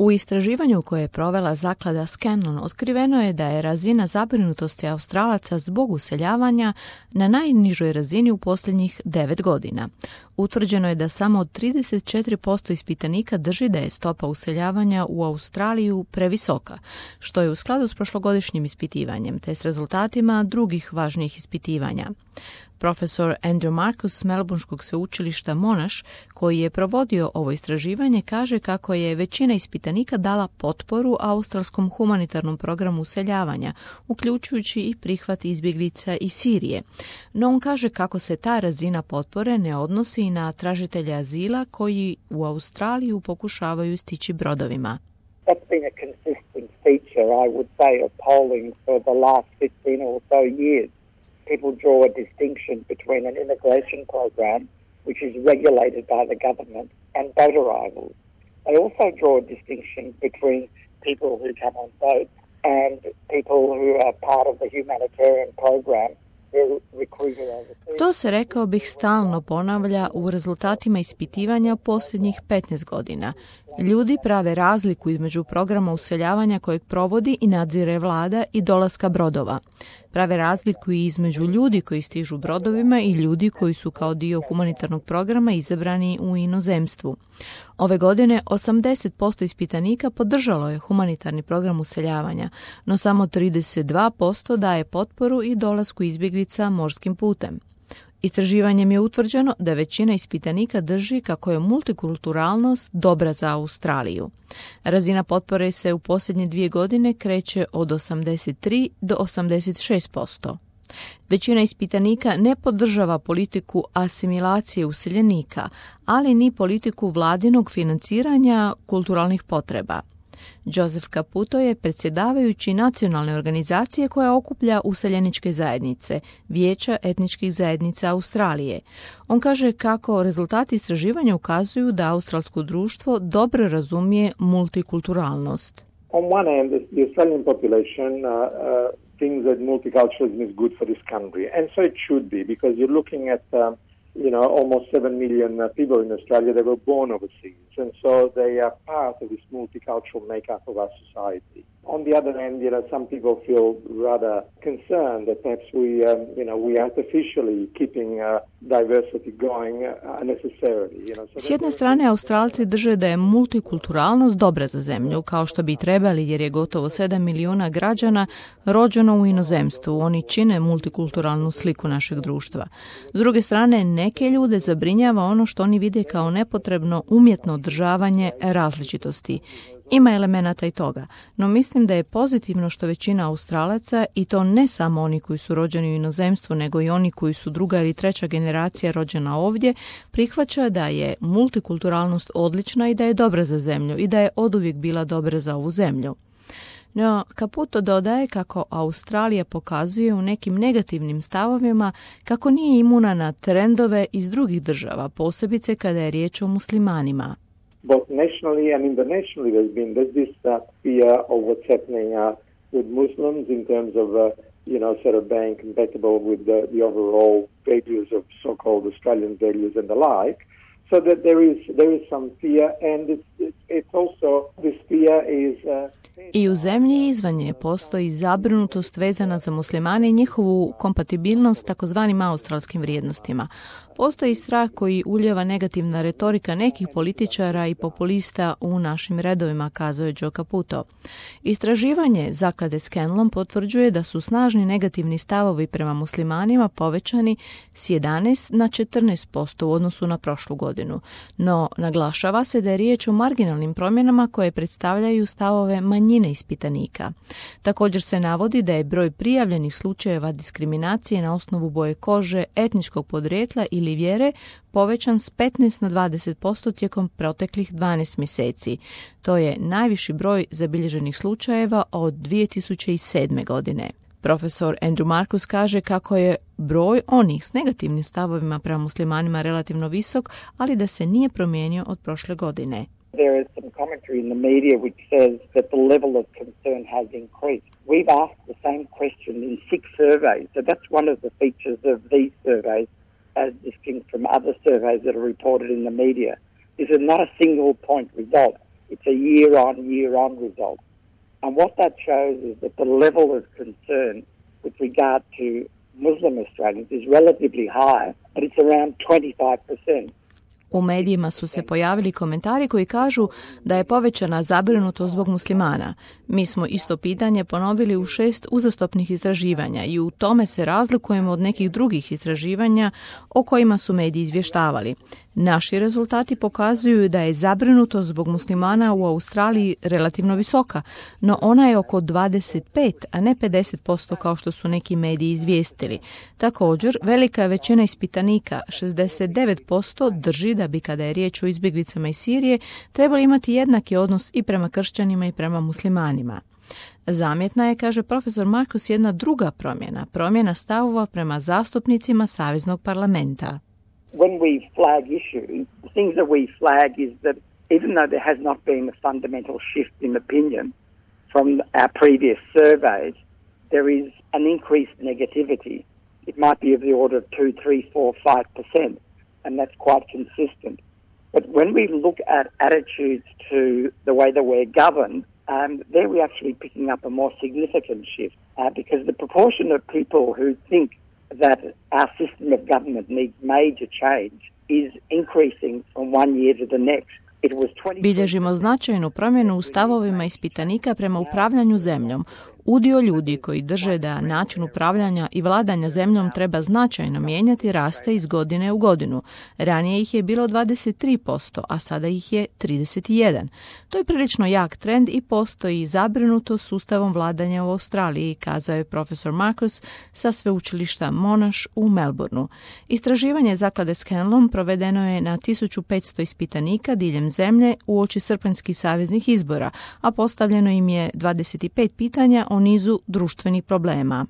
U istraživanju koje je provela zaklada Scanlon otkriveno je da je razina zabrinutosti Australaca zbog useljavanja na najnižoj razini u posljednjih 9 godina. Utvrđeno je da samo 34% ispitanika drži da je stopa useljavanja u Australiju previsoka, što je u skladu s prošlogodišnjim ispitivanjem te s rezultatima drugih važnijih ispitivanja. Profesor Andrew Marcus s Melbourneškog sveučilišta Monash, koji je provodio ovo istraživanje, kaže kako je većina ispitanika dala potporu australskom humanitarnom programu useljavanja, uključujući i prihvat izbjeglica iz Sirije. No on kaže kako se ta razina potpore ne odnosi i na tražitelje azila koji u Australiju pokušavaju stići brodovima. That's been a consistent feature, I would say, of polling for the last 15 or so years. People draw a distinction between an immigration program, which is regulated by the government, and boat arrivals. They also draw a distinction between people who come on boats and people who are part of the humanitarian program. To se, rekao bih, stalno ponavlja u rezultatima ispitivanja posljednjih 15 godina. Ljudi prave razliku između programa useljavanja kojeg provodi i nadzire vlada i dolaska brodova. Prave razliku i između ljudi koji stižu brodovima i ljudi koji su kao dio humanitarnog programa izabrani u inozemstvu. Ove godine 80% ispitanika podržalo je humanitarni program useljavanja, no samo 32% daje potporu i dolasku izbjeglica morskim putem. Istraživanjem je utvrđeno da većina ispitanika drži kako je multikulturalnost dobra za Australiju. Razina potpore se u posljednje 2 godine kreće od 83 do 86%. Većina ispitanika ne podržava politiku asimilacije useljenika, ali ni politiku vladinog financiranja kulturalnih potreba. Joseph Caputo je predsjedavajući nacionalne organizacije koja okuplja useljeničke zajednice, Vijeća etničkih zajednica Australije. On kaže kako rezultati istraživanja ukazuju da australsko društvo dobro razumije multikulturalnost. On one hand, the Australian population thinks that multiculturalism is good for this country, and so it should be, because you're looking at almost 7 million people in Australia that were born overseas, and so they are part of this multicultural makeup of our society. On the other hand, some people feel rather concerned that perhaps we artificially keeping diversity going unnecessarily. S jedne strane, Australci drže da je multikulturalnost dobra za zemlju, kao što bi trebali, jer je gotovo 7 milijuna građana rođeno u inozemstvu. Oni čine multikulturalnu sliku našeg društva. S druge strane, neke ljude zabrinjava ono što oni vide kao nepotrebno umjetno održavanje različitosti. Ima elemenata i toga, no mislim da je pozitivno što većina Australaca, i to ne samo oni koji su rođeni u inozemstvu, nego i oni koji su 2. ili 3. generacija rođena ovdje, prihvaća da je multikulturalnost odlična i da je dobra za zemlju i da je oduvijek bila dobra za ovu zemlju. No, Caputo dodaje kako Australija pokazuje u nekim negativnim stavovima kako nije imuna na trendove iz drugih država, posebice kada je riječ o muslimanima. Both nationally and internationally, there's this fear of what's happening with Muslims in terms of, sort of being compatible with the overall values of so-called Australian values and the like. So that there is some fear, and it's also, this fear is... I u zemlji i izvan nje postoji zabrinutost vezana za muslimane i njihovu kompatibilnost takozvanim australskim vrijednostima. Postoji strah koji ulijeva negativna retorika nekih političara i populista u našim redovima, kazuje Joe Caputo. Istraživanje zaklade Scanlon potvrđuje da su snažni negativni stavovi prema muslimanima povećani s 11 na 14% u odnosu na prošlu godinu. No, naglašava se da je riječ o marginalnim promjenama koje predstavljaju stavove manjine ispitanika. Također se navodi da je broj prijavljenih slučajeva diskriminacije na osnovu boje kože, etničkog podrijetla ili vjere povećan s 15 na 20% tijekom proteklih 12 mjeseci. To je najviši broj zabilježenih slučajeva od 2007. godine. Profesor Andrew Marcus kaže kako je broj onih s negativnim stavovima prema muslimanima relativno visok, ali da se nije promijenio od prošle godine. There is some commentary in the media which says that the level of concern has increased. We've asked the same question in 6 surveys, so that's one of the features of these surveys as distinct from other surveys that are reported in the media. This is not a single point result. It's a year-on result. And what that shows is that the level of concern with regard to Muslim Australians is relatively high, but it's around 25%. U medijima su se pojavili komentari koji kažu da je povećana zabrinutost zbog muslimana. Mi smo isto pitanje ponovili u 6 uzastopnih istraživanja i u tome se razlikujemo od nekih drugih istraživanja o kojima su mediji izvještavali. Naši rezultati pokazuju da je zabrinutost zbog muslimana u Australiji relativno visoka, no ona je oko 25, a ne 50% kao što su neki mediji izvijestili. Također, velika većina ispitanika, 69%, drži da bi kada je riječ o izbjeglicama iz Sirije trebali imati jednaki odnos i prema kršćanima i prema muslimanima. Zamjetna je, kaže profesor Marcus, jedna druga promjena stavova prema zastupnicima Saveznog parlamenta. When we flag issues, the things that we flag is that even though there has not been a fundamental shift in opinion from our previous surveys, there is an increased negativity. It might be of the order of 2, 3, 4, 5%, and that's quite consistent. But when we look at attitudes to the way that we're governed, there we're actually picking up a more significant shift because the proportion of people who think that our system of government needs major change is increasing from one year to the next. Bilježimo značajnu promjenu u stavovima ispitanika prema upravljanju zemljom. Udio ljudi koji drže da način upravljanja i vladanja zemljom treba značajno mijenjati raste iz godine u godinu. Ranije ih je bilo 23%, a sada ih je 31%. To je prilično jak trend i postoji zabrinutost sustavom vladanja u Australiji, kazao je profesor Marcus sa sveučilišta Monash u Melbourneu. Istraživanje zaklade Scanlon provedeno je na 1500 ispitanika diljem zemlje uoči srpanjskih saveznih izbora, a postavljeno im je 25 pitanja o nizu društvenih problema.